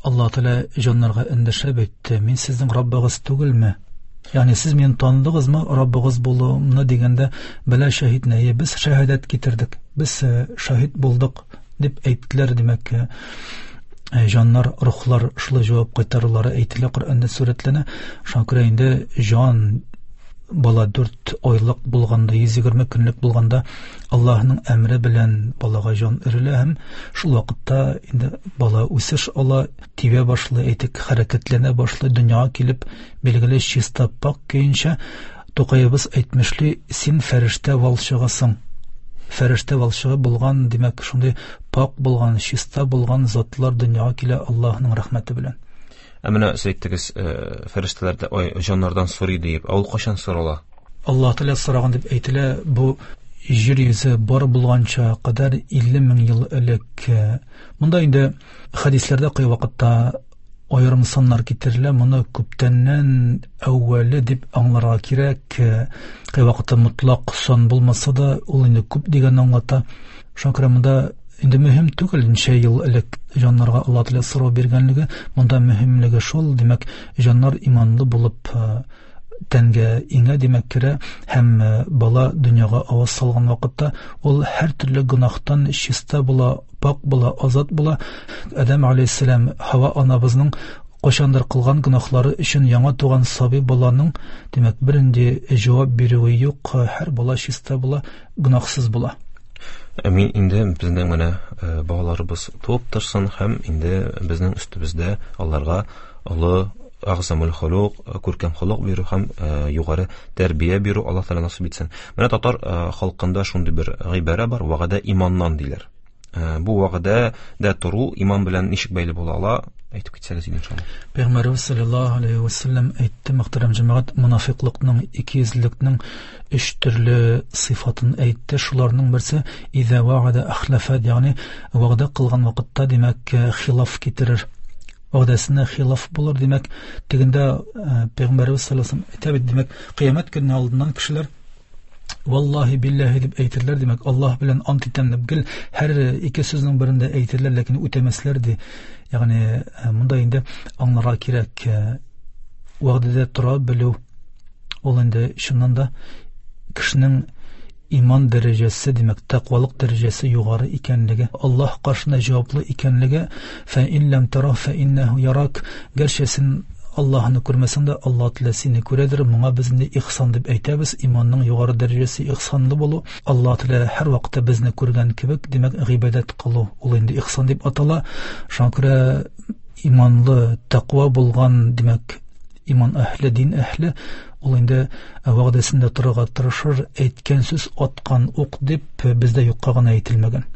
Аллаһ Тәгалә җаннарга эндәшә бит, мин сезнең Раббыгыз түгелме? Ягъни сез мине таныдыгызмы, Раббыгыз булуымны дигәндә, бәлә шәһиднә, әйе, без шәһадәт китердек, без шаһит булдык дип әйттеләр, димәк, җаннар, рухлар шулай җавап кайтарулары әйтелә, Коръәндә сурәтләнә. Шуңа күрә инде җан бала 4 айлык булганда, 120 көнлек булганда Аллаһның әмре белән балага җан өрелә һәм шул вакытта инде бала үсеш ала, тибә башлый, әйтик, хәрәкәтләнә башлый, дөньяга килеп, билгеле чиста пак көенчә, Тукаебыз әйтмешли, син фәрештә валчыгысың. Фәрештә валчыгы булган, димәк, шундый пак булган, чиста булган затлар дөньяга килә Аллаһның рәхмәте белән. Ә менә сез әйттегез, фәрештәләр дә ой, җаннардан сорый диеп. Ә ул кайчан сорала? Аллаһ Тәгалә сораган дип әйтелә, бу җир йөзе бар булганча кадәр 50 мең ел элек. Монда инде хәдисләрдә кайвакытта аерым саннар китерелә, моны күптәннән әүвәле дип аңларга кирәк. Кайвакытта мотлак сан булмаса да, ул инде күп дигәнне аңлата. Шуңа күрә монда инде мөһим түгел ничә ел элек җаннарга Аллаһ Тәгалә сорау биргәнлеге, монда мөһимлеге шул, димәк, җаннар иманлы булып тәнгә иңә, димәк, керә һәм бала дөньяга аваз салган вакытта ул һәр төрле гөнаһтан чиста була, пак була, азат була. Адәм алейһиссәлам, Һава анабызның кайчандыр кылган гөнаһлары өчен яңа туган сабый баланың, димәк, бернинди җавап бирүе юк, һәр бала чиста була, гөнаһсыз була. Мин инде безнең менә балаларыбыз туып торсын һәм инде безнең өстебездә аларга олы әгъзамул холук, күркәм холык бирү һәм югары тәрбия бирү Аллаһ Тәгалә насыйп итсен. Менә татар халкында шундый бер гыйбарә бар, вәгъдә иманнан диләр. Бу вәгъдә дә тору иман белән ничек бәйле була ала? Әйтеп китсәгез иде иншалла. Пәйгамбәребез саллаллаһу алейһи ва саллям әйтте, мөхтәрәм җәмәгать, мунафиклыкның, икейөзлелекнең өч төрле сыйфатын әйтте. Шуларның берсе иза вәгъдә ахлафа, ягъни вәгъдә кылган вакытта, димәк, хилаф китерер. Вәгъдәсенә хилаф булыр, димәк, тегендә Пәйгамбәребез саллаллаһу алейһи ва саллям әйтә бит, димәк, кыямәт көне алдыннан кешеләр Валлаһи биллаһи дип әйтерләр, димәк, Аллаһ белән ант итәм дип гел һәр ике сүзнең берендә әйтерләр, ләкин үтәмәсләр ди. Ягъни монда инде аңларга кирәк, вәгъдәдә тора белү ул инде чыннан да кешенең иман дәрәҗәсе, димәк, тәкъвалык дәрәҗәсе югары икәнлеге, Аллаһ каршында җаваплы икәнлеге, фә ин ләм тара фә иннәһу ярак, гәрчә син Аллаһны күрмәсәң дә, Аллаһ Тәгалә сине күрәдер. Моңа без инде ихсан дип әйтәбез. Иманның югары дәрәҗәсе ихсанлы булу. Аллаһ Тәгалә һәр вакытта безне күргән кебек, димәк, гыйбадәт кылу ул инде ихсан дип атала. Шуңа күрә иманлы, тәкъва булган, димәк, иман әһле, дин әһле Ул инде вәгъдәсендә торырга тырышыр, әйткән сүз аткан ук дип бездә юкка гына әйтелмәгән.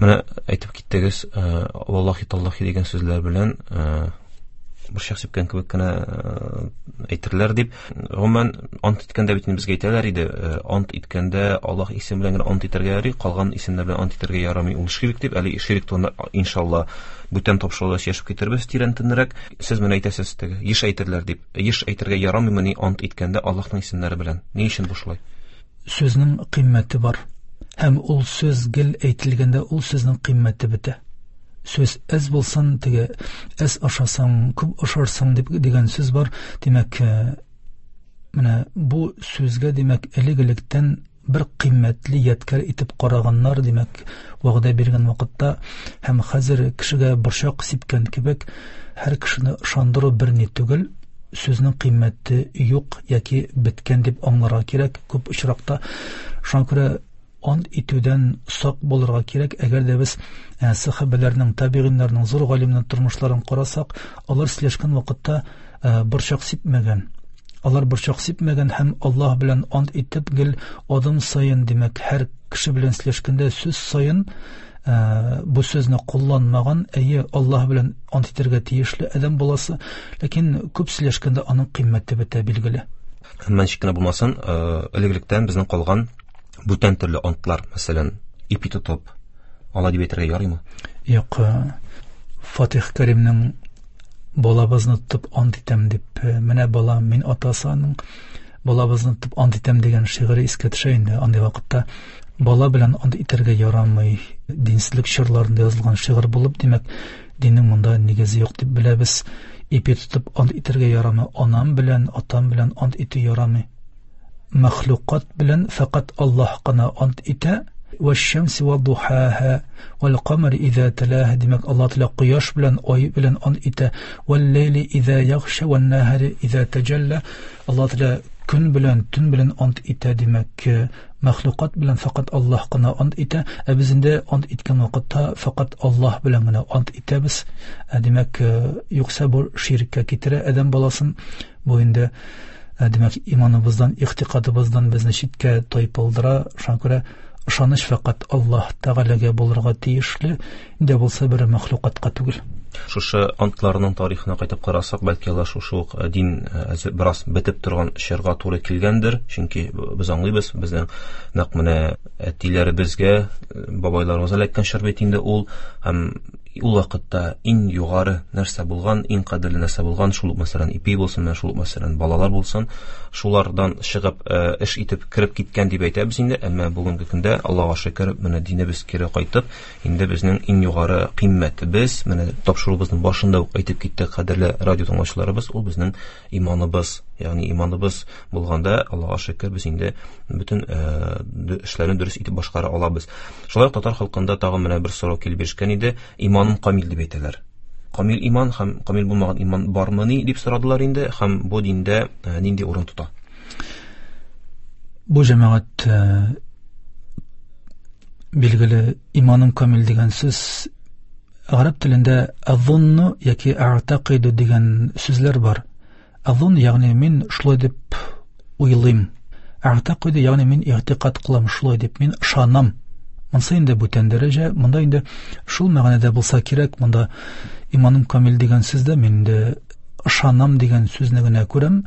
Менә әйтеп киттегез, валлахи таллахи дигән сүзләр белән борчак сипкән кебек кенә әйтерләр дип. Гомумән, ант иткәндә бит безгә әйтәләр иде, ант иткәндә Аллаһ исеме белән генә ант итәргә ярый, калган исемнәр белән ант итәргә ярамый. Ул ширк дип, әле ширк турында иншалла бүтән тапшыруда сөйләшеп китербез тирәнтенрәк. Сез менә әйтәсез теге, еш әйтерләр дип. Еш әйтергә ярамыймыни ант иткәндә Аллаһның исемнәре белән? Ни өчен бу шулай? Сүзнең кыйммәте бар. Һәм ул сүз гел әйтелгәндә ул сүзнең кыйммәте бетә. Сүз әз булсын, теге әз ашасаң, күп ашарсың дип дигән сүз бар. Димәк, менә бу сүзгә, димәк, элек-электән бер кыйммәтле ядкәр итеп караганнар, димәк, вәгъдә биргән вакытта һәм хәзер кешегә борчак сипкән кебек һәр кешене ышандыру бер ни түгел, сүзнең кыйммәте юк яки беткән дип аңларга кирәк күп очракта. Шуңа күрә ант итүдән сак булырга кирәк. Әгәр дә без сахабәләрнең, табигыйннарның, зур галимнәрнең тормышларын карасак, алар сөйләшкән вакытта борчак сипмәгән. Алар борчак сипмәгән һәм Аллаһ белән ант итеп гел адым саен, димәк, һәр кеше белән сөйләшкәндә сүз саен бу сүзне кулланмаган. Әйе, Аллаһ белән ант итәргә тиешле адәм баласы, ләкин күп сөйләшкәндә аның кыйммәте бетә, билгеле. Әмма ничек кенә булмасын, элек-электән безнең калган бүтән төрле антлар, мәсәлән, ипи тотып, алай дип әйтергә ярыймы? Юк, Фатих Кәримнең балабызны тотып ант итәм дип, менә балам, мин атасы аның, балабызны тотып ант итәм дигән шигыре искә төшә инде. Андый вакытта бала белән ант итәргә ярамый. Динсезлек чорларында язылган шигырь булып, димәк, диннең монда нигезе юк дип беләбез. Ипи тотып ант итәргә ярамый, анам белән, атам белән ант итү ярамый. Мәхлукат белән фәкать Аллаһ кына ант итә. Вәш-шәмси вә-духаһа вәл-камари иза талаһа. Димәк, Аллаһ Тәгалә кояш белән, ай белән ант итә. Вәл-ләйли иза ягша вән-наһари иза таҗалла. Аллаһ Тәгалә көн белән, төн белән ант итә. Димәк, мәхлукат белән фәкать Аллаһ кына ант итә. Ә без инде ант иткән вакытта фәкать Аллаһ белән генә ант итәбез. Димәк, юкса бу ширккә китерә адәм баласын. Бу инде, димәк, иманыбыздан, игътикадыбыздан безне читкә тайпылдыра. Шуңа күрә ышаныч фәкать Аллаһ Тәгаләгә булырга тиешле, инде булса бер мәхлукатка түгел. Шушы антларның тарихына кайтып карасак, бәлки алар шушы ук дин бераз бетеп торган чорга туры килгәндер, чөнки без аңлыйбыз, безнең нәкъ менә әтиләребезгә, бабайларыбызга эләккән чор бит инде ул, һәм ул вакытта иң югары нәрсә булган, иң кадерле нәрсә булган, шул ук, мәсәлән, ипи булсын, менә шул ук, мәсәлән, балалар булсын, шулардан чыгып, эш итеп кереп киткән дип әйтәбез инде. Әмма бүгенге көндә, Аллаһка шөкер, менә динебез кире кайтып, инде безнең иң югары кыйммәтебез, менә тапшыруыбызның башында ук әйтеп киттек, кадерле радио тыңлаучыларыбыз, ул безнең иманыбыз. Ягъни иманыбыз булганда, Аллаһка шөкер, без инде бөтен эшләрне дөрес итеп башкара алабыз. Шулай ук татар халкында тагын менә бер сорау килеп ирешкән иде. Иманым камил дип әйтәләр. Камил иман һәм камил булмаган иман бармыни дип сорадылар инде, һәм бу диндә нинди урын тота? Бу җәмәгать, билгеле, иманым камил дигән сүз гарәп телендә азунну яки a'тaqиду дигән сүзләр бар. Азун, ягъни мин шулай дип уйлыйм. A'тaqиду, ягъни мин игътикад кылам шулай дип, мин ышанам. Монсы инде бүтән дәрәҗә, монда инде шул мәгънәдә булса кирәк, монда иманым камил дигән сүздә мин инде ышанам дигән сүзне генә күрәм.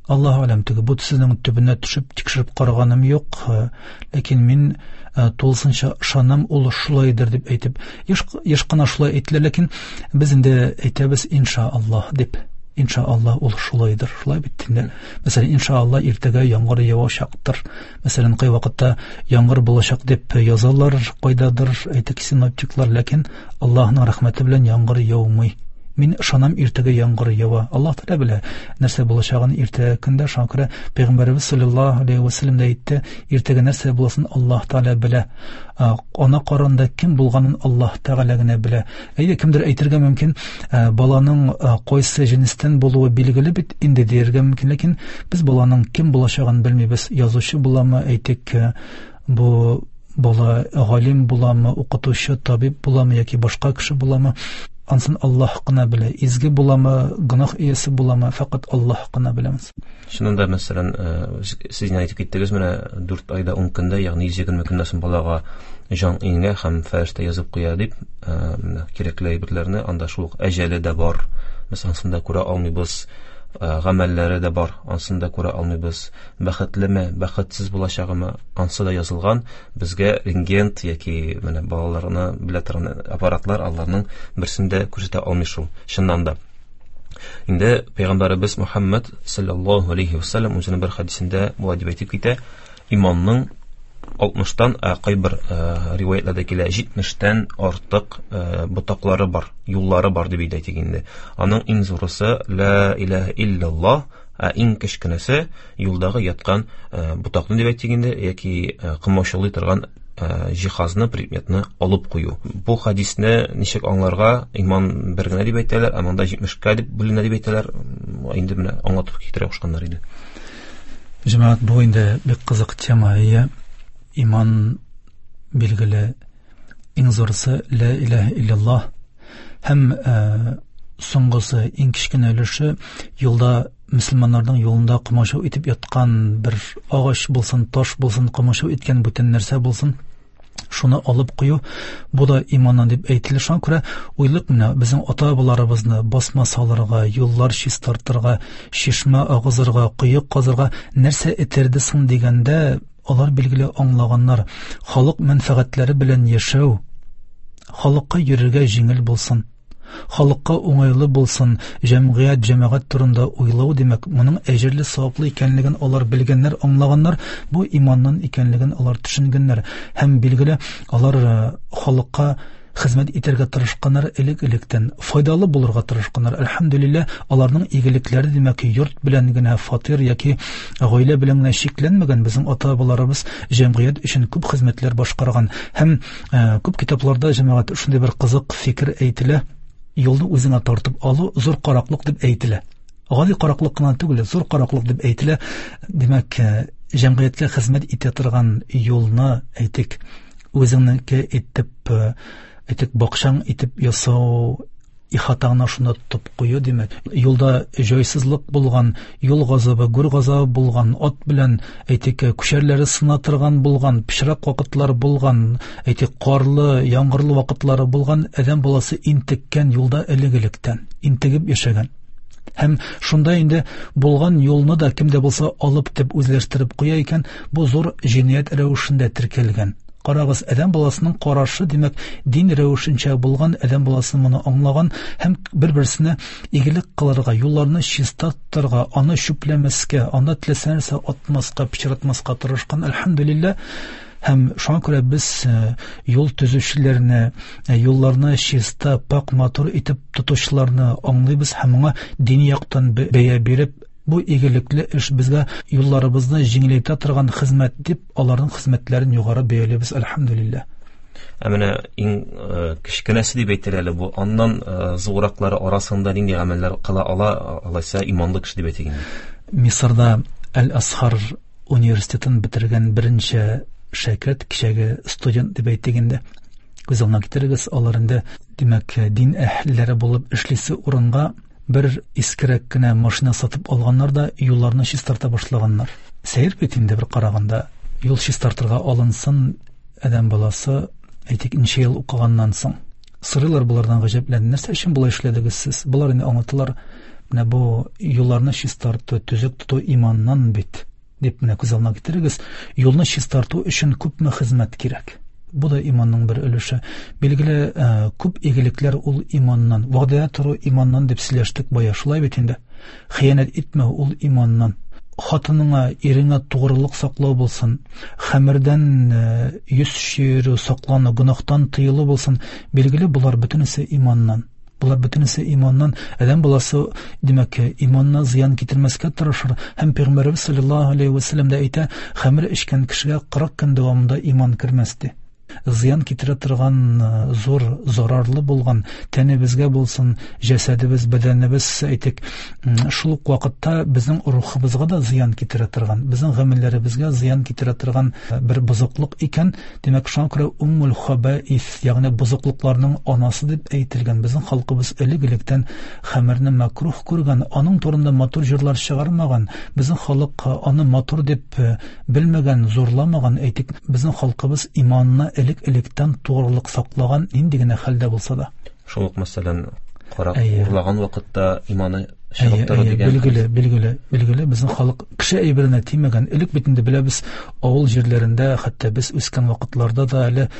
Аллаһу алям, теге бу сүзнең төбенә төшеп тикшереп караганым юк, ләкин мин тулысынча ышанам, ул шулайдыр дип әйтеп, еш кына шулай әйтелә, ләкин без инде әйтәбез иншааллаһ дип. Иншааллаһ ул шулайдыр, шулай бит инде. Мәсәлән, иншааллаһ иртәгә яңгыр явачактыр. Мәсәлән, кай вакытта яңгыр булачак дип язалар кайдадыр, әйтик, синоптиклар, ләкин Аллаһның рәхмәте белән яңгыр яумый. Мин ышанам, иртәгә яңгыр ява. Аллаһ Тәгалә белә нәрсә булачагын иртәгә көндә. Шуңа күрә Пәйгамбәребез саллаллаһу алейһи ва сәлләм дә әйтте, иртәгә нәрсә буласын Аллаһ Тәгалә белә. Ана карында кем булганын Аллаһ Тәгалә генә белә. Әйе, кемдер әйтергә мөмкин, баланың кайсы җенестән булуы билгеле бит инде дияргә мөмкин, ләкин без баланың кем булачагын белмибез. Язучы буламы, әйтик, бу бала галим буламы, укытучы, табиб буламы яки башка кеше буламы? Ансын Аллаһ кына белә. Изге буламы, гөнаһ иясе буламы, фәкать Аллаһ кына белә. Чыннан да, мәсәлән, сез инде әйтеп киттегез, менә 4 айда 10 көндә, ягъни 120 көннән соң балага җан иңә һәм фәрештә язып куя дип, менә кирәкле әйберләрне, анда шул ук әҗәле дә бар. Без ансын да күрә алмыйбыз. Гамәлләре дә бар, ансын да күрә алмыйбыз. Бәхетлеме, бәхетсез булачагымы, ансы да язылган. Безгә рентген яки менә балаларны белә торган аппаратлар аларның берсен дә күрсәтә алмый шул. Чыннан да. Инде Пәйгамбәребез Мухаммад саллаллаһу алейхи ва саллям үзенең бер хәдисендә болай дип әйтеп китә: иманның 60-тан, ә кайбер риваятларда килә 70-тән артык ботаклары бар, юллары бар дип әйтик инде. Аның иң зурысы ла илаһа илляллаһ, ә иң кечкенәсе юлдагы яткан ботакны дип әйтик инде, яки комачаулый торган җиһазны, предметны алып кую. Бу хадисне ничек аңларга? Иман бер генә дип әйтәләр, ә монда 70-кә дип бүленә дип әйтәләр. Инде менә аңлатып китерә кушканнар иде. Җәмәгать, бу инде бик кызык тема. Ия, иман билгеле иң зурысы ла илаһа илляллаһ һәм соңгысы иң кечкенә өлеше юлда мөселманнарның юлында комачау итеп яткан бер агач булсын, таш булсын, комачау иткән бүтән нәрсә булсын, шуны алып кую, бу да иманнан дип әйтелә. Шуңа күрә уйлык менә безнең ата-бабаларыбызны басма салырга, юллар чистартырга, чишмә агызырга, кое казырга нәрсә этәрде соң дигәндә, алар билгеле аңлаганнар, халык мәнфәгатьләре белән яшәү, халыкка йөрергә җиңел булсын, халыкка уңайлы булсын, җәмгыять, җәмәгать турында уйлау, димәк, моның әҗерле, саваплы икәнлеген алар белгәннәр, аңлаганнар, бу иманнан икәнлеген алар төшенгәннәр. Һәм билгеле, алар халыкка хезмәт итәргә тырышканнар элек-электән, файдалы булырга тырышканнар. Әлхәмдүлилләһ, аларның игелекләре, димәк, йорт белән генә, фатир яки гаилә белән генә чикләнмәгән. Безнең ата-бабаларыбыз җәмгыять өчен күп хезмәтләр башкарган. Һәм күп китапларда, җәмәгать, шундый бер кызык фикер әйтелә: юлны үзеңә тартып алу зур караклык дип әйтелә. Гади караклык кына түгел, зур караклык дип әйтелә. Димәк, җәмгыятькә хезмәт итә торган юлны, әйтик, үзеңнеке итеп, әйтик, бакчаң итеп ясау, ихатаңны шунда тотып кую, димәк, юлда җайсызлык булган, юл газабы, гүр газабы булган, ат белән, әйтик, күчәрләре сына торган булган, пычрак вакытлар булган, әйтик, карлы, яңгырлы вакытлары булган, адәм баласы интеккән юлда элек-электән, интегеп яшәгән. Һәм шунда инде булган юлны да кем дә булса алып дип үзләштереп куя икән, бу зур җинаять рәвешендә теркәлгән. Карагыз, адәм баласының карашы, димәк, дин рәвешенчә булган, адәм баласы моны аңлаган һәм бер-берсенә игелек кылырга, юлларны чиста тотарга, аны чүпләмәскә, анда теләсә нәрсә атмаска, пычратмаска тырышкан, әлхәмдүлилләһ. Һәм шуңа күрә без юл төзүчеләрне, юлларны чиста, пак, матур итеп тотучыларны аңлыйбыз һәм моңа дини яктан бәя биреп, бу игелекле эш безгә юлларыбызны җиңеләйтә торган хезмәт дип, аларның хезмәтләрен югары бәялибез, әлхәмдүлилләһ. Ә менә иң кечкенәсе дип әйтер әле бу, аннан зурраклары арасында нинди гамәлләр кыла ала, алайса иманлы кеше дип әйтик инде? Мисырда Әл-Асхар университетын бетергән беренче шәкерт, кичәге студент дип әйтик инде. Күз алдына китерегез, алар инде, димәк, дин әһелләре булып эшлисе урынга бер искерәк кенә машина сатып алганнар да юлларны чистарта башлаганнар. Сәер бит инде бер караганда, юл чистартырга алынсын адәм баласы, әйтик, ничә ел укыганнан соң. Сорыйлар болардан гаҗәпләнеп, нәрсә өчен болай эшләдегез сез? Болар инде аңлаталар, менә бу юлларны чистарту, төзек тоту иманнан бит, дип менә күз алдына китерегез. Юлны чистарту өчен күпме хезмәт кирәк? Бу да иманның бер өлеше. Билгеле, күп игелекләр ул иманнан. Вәгъдәдә тору иманнан дип сөйләштек бая, шулай бит инде. Хыянәт итмәү ул иманнан. Хатыныңа, иреңә тугрылык саклау булсын, хәмердән йөз чөерү, саклану, гөнаһтан тыелу булсын. Билгеле, болар бөтенесе иманнан. Болар бөтенесе иманнан. Адәм баласы, димәк, иманына зыян китермәскә тырышыр. Һәм Пәйгамбәребез саллаллаһу алейхи ва саллям да әйтә, хәмер эчкән кешегә 40 көн дәвамында иман кермәс ди. зыян китерә торган зур зарарлы булган тәнебезгә булсын, җәсәдебез, бәдәнебез, әйтик, шул ук вакытта безнең рухыбызга да зыян китерә торган, безнең гамәлләребезгә зыян китерә торган бер бозыклык икән. Димәк, шуңа күрә уммул хабаис, ягъни бозыклыкларның анасы дип әйтелгән. Безнең халкыбыз элек-электән хәмерне мәкрух күргән, аның турында матур җырлар чыгармаган. Безнең халык аны матур дип белмәгән, зурламаган. Әйтик, безнең халкыбыз иманына элек-электән тугрылык саклаган, нинди генә хәлдә булса да. Шул ук, мәсәлән, карак урлаган вакытта иманы чыгып тора дигән. Билгеле, билгеле, билгеле, безнең халык кеше әйберенә тимәгән. Элек бит инде беләбез, авыл җирләрендә, хәтта без үскән вакытларда да әле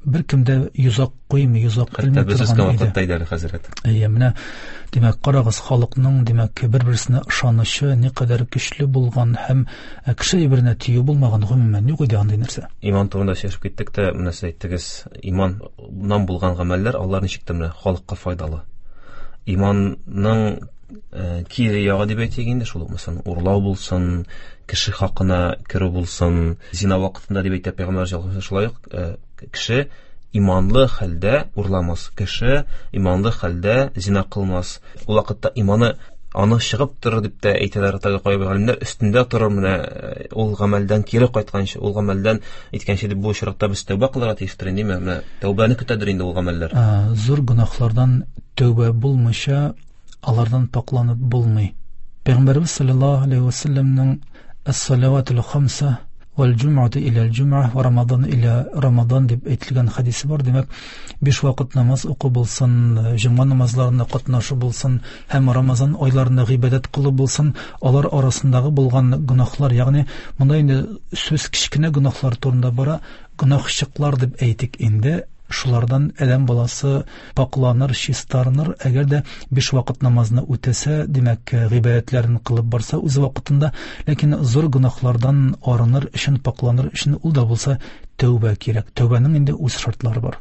беркем дә йозак куймый, йозак элми торган иде. Хәтта без үскән вакытта иде әле, хәзрәт. Әйе, менә, димәк, карагыз, халыкның, димәк, бер-берсенә ышанычы никадәр көчле булган һәм кеше әйберенә тию булмаган, гомумән, юк иде андый нәрсә. Иман турында сөйләшеп киттек тә, менә сез әйттегез, иманнан булган гамәлләр, алар ничек тә менә халыкка файдалы. Иманның кире ягы дип әйтик инде, шул ук, мәсәлән, урлау булсын, кеше хакына керү булсын, зина вакытында дип әйтә пәйгамбәр саллаллаһу алейһи ва шулай ук кеше иманлы хәлдә урламас, кеше иманлы хәлдә зина кылмас. Ул вакытта иманы аны чыгып торыр дип тә әйтәләр теге кайбер галимнәр, өстендә торыр менә ул гамәлдән кире кайтканчы, ул гамәлдән әйткәнче дип, бу очракта без тәүбә кылырга тиештер инде, менә тәүбәне көтәдер инде ул гамәлләр. Зур гөнаһлардан тәүбә булмыйча алардан пакланып булмый. Пәйгамбәрбез саллаллаһу алейһи ва сәлләмнең «Әс-салаватул хамса вәл җумъату иләл җумъа ва рамадан иля рамадан» дип әйтелгән хәдисе бар. Димәк, 5 вакыт намаз уку булсын, җомга намазларына катнашу булсын һәм Рамазан айларында гыйбадәт кылу булсын, алар арасындагы булган гөнаһлар, ягъни монда инде сүз кечкенә гөнаһлар турында бара, гөнаһчыклар дип әйтик инде, шулардан адәм баласы пакланыр, чистарыныр, әгәр дә 5 вакыт намазны үтәсә, димәк, гыйбадәтләрен кылып барса үз вакытында, ләкин зур гөнаһлардан арыныр өчен, пакланыр өчен ул да булса тәүбә кирәк. Тәүбәнең инде үз шартлары бар.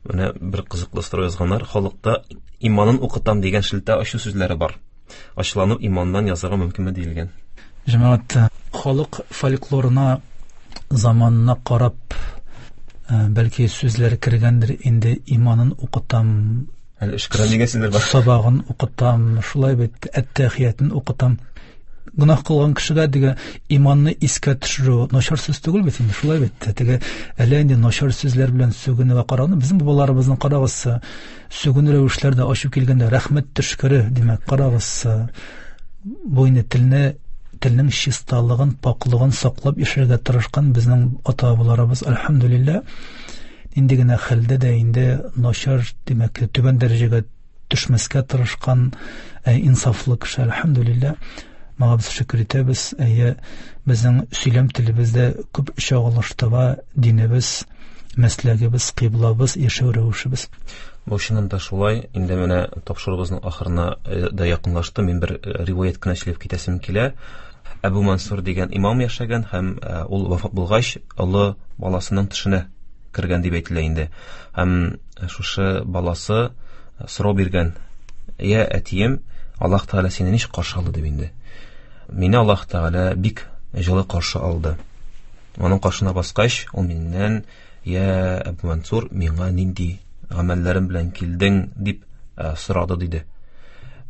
Менә бер кызыклы сорау язганнар, халыкта иманын укытам дигән шелтә ачу сүзләре бар. Ачулану иманнан язарга мөмкинме диелгән. Җәмәгать, халык фольклорына заманына карап, бәлки сүзләр кергәндер инде, иманын укытам, Әле өшкерәм дигән сүзләр бар. Сабагын укытам, шулай бит, әттәхиятен укытам. Гөнаһ кылган кешегә теге иманны искә төшерү начар сүз түгел бит инде, шулай бит. Теге әллә инде начар сүзләр белән сүгенүгә караганда, безнең бабаларыбызның карагыз, сүгенү рәвешләре дә ачу килгәндә рәхмәт төшкере, димәк, карагыз, бу инде телнең чисталыгын, паклыгын саклап яшәргә тырышкан безнең ата-бабаларыбыз, әлхәмдүлилләһ, нинди генә хәлдә дә инде начар, димәк, түбән дәрәҗәгә төшмәскә тырышкан инсафлы кеше, әлхәмдүлилләһ. Моңа без шөкер итәбез. Әйе, безнең сөйләм телебездә күп чагылыш таба динебез, мәсләгебез, кыйблабыз, яшәү рәвешебез. Бу чыннан да шулай. Инде менә тапшыруыбызның ахырына да якынлашты. Мин бер риваять кенә сөйләп китәсем килә. Әбу Мансур дигән имам яшәгән һәм ул вафат булгач, олы баласының төшенә кергән дип әйтелә инде. Һәм шушы баласы сорау биргән: "Я әтием, Аллаһ Тәгалә сине ничек каршы алды?" дип инде. Мине Аллаһ Тәгалә бик җылы каршы алды. Аның каршына баскач, ул миннән: "Я Әбу Мансур, миңа нинди гамәлләрем белән килдең?" дип сорады диде.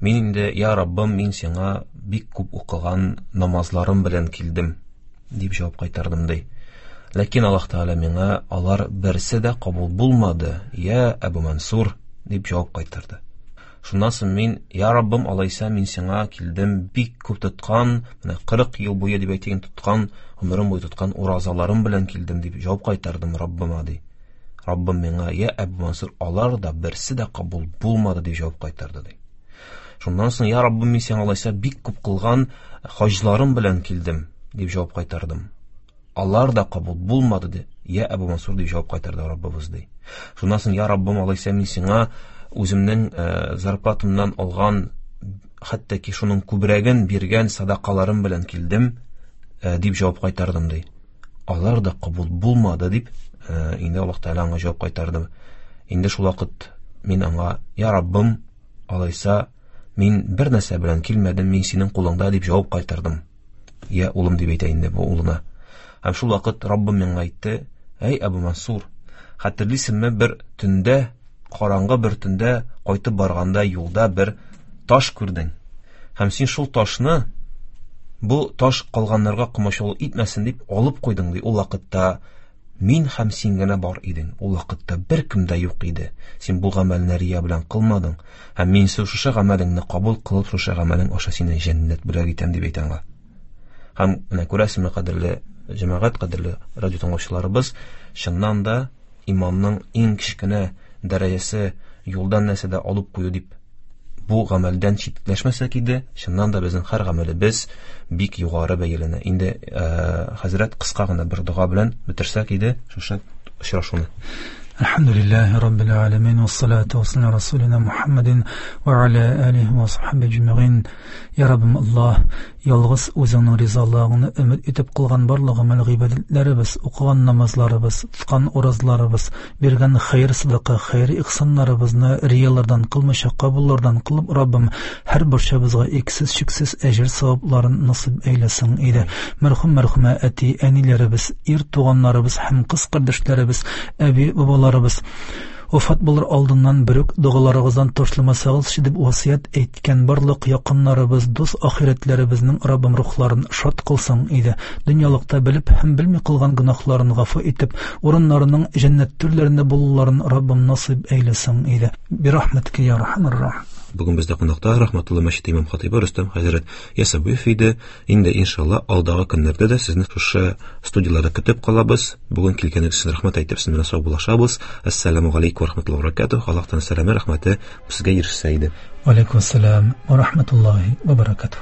Мин инде: "Я Раббым, мин сиңа бик күп укыган намазларым белән килдем", дип җавап кайтардым ди. Ләкин Аллаһ Тәгалә миңа: "Алар берсе дә кабул булмады, я Әбу Мансур", дип җавап кайтарды. Шуннан соң мин: "Я Раббым, алайса мин сиңа килдем бик күп тоткан, менә 40 ел буе дип әйтик, тоткан, гомерем буе тоткан уразаларым белән килдем", дип җавап кайтардым Раббыма ди. Раббым миңа: "Я Әбу Мансур, алар да берсе дә кабул булмады", дип җавап кайтарды ди. Шуннан соң: "Я Раббым, мин сиңа алайса бик күп кылган хаҗларым белән килдем", дип җавап кайтардым. Алар да кабул булмады ди. Я Әбу Мансур, дип җавап кайтарды Раббыбыз ди. Шуннан соң: "Я Раббым, алайса мин сиңа үземнең зарплатамнан алган, хәтта ки шуның күбрәген биргән садакаларым белән килдем", дип җавап кайтардым ди. Алар да кабул булмады дип, инде Аллаһ Тәгалә аңа җавап кайтарды. Инде шул вакыт мин аңа: "Я Раббым, алайса мин бер нәрсә белән килмәдем, мин синең кулыңда", дип җавап кайтардым. Я улым, дип әйтә инде бу улына. Һәм шул вакыт Раббым миңа әйтте: "Әй Әбу Мансур, Хәтерлисеңме, бер төндә, караңгы бер төндә кайтып барганда юлда бер таш күрдең. Һәм син шул ташны бу таш калганнарга комачаулык итмәсен дип алып куйдың, ди. Ул вакытта мин һәм син генә бар идең. Ул вакытта беркем дә юк иде. Син бу гамәлне рия белән кылмадың. Һәм мин шушы гамәлеңне кабул кылып, шушы гамәлең аша сине җәннәт бүләк итәм, дип әйтә аңа. Һәм менә күрәсезме, кадерле җәмәгать, кадерле радио тыңлаучыларыбыз, чыннан да иманның иң кечкенә дәрәҗәсе юлдан нәрсә дә алып кую дип бу гамәлдән читләшмәсәк иде, чыннан да безнең һәр гамәлебез бик югары бәяләнә. Инде хәзрәт кыска гына бер дога белән бетерсәк иде шушы очрашуны. الحمد لله رب العالمين والصلاة والسلام على رسولنا محمد وعلى آله وصحبه أجمعين. يا ربim Allah, yalğız o'zingning rizolug'ini umid etib qilgan barliq amal ibodatlarimiz, o'qigan namozlarimiz, tutgan o'rozlarimiz, bergan xayr sadaqa, xayr ihsonlarimizni riyolardan qilmasha qabullardan qilib Rabbim har barchamizga eksiz cheksiz ajr savoblarini nasib aylasin edi. Marhum marhuma ati anilarimiz, er tug'anlarimiz ham qiz qardoshlarimiz, abi bobolarimiz vafot bo'lar oldindan biruk duolaringizdan tashlamasangiz deb vasiyat aytgan barliq yaqinlarimiz, do'st oxiratlarimizning Rabbim ruhlarini shod qilsin edi. Dunyolikda bilib ham bilmay qilgan gunohlarini g'afu etib, o'rinlarining jannat turlarini bo'lularini Rabbim nasib aylasin edi. Bi rahmatika ya arhamar rohim. Бүген бездә кунакта Рахматулла мәчете имам хатыйбы Рөстәм хәзрәт Ясәвиев иде. Инде иншалла алдагы көннәрдә дә сезне шушы студияләрдә көтеп калабыз. Бүген килгәнегез өчен рәхмәт әйтеп, сезнең белән саубуллашабыз. Ассаламу алейкум ва рахматуллаһи ва баракатуһ. Аллаһтан сәламе, рәхмәте сезгә ирешсә иде. Ва алейкум ассалам ва рахматуллаһи ва баракатуһ.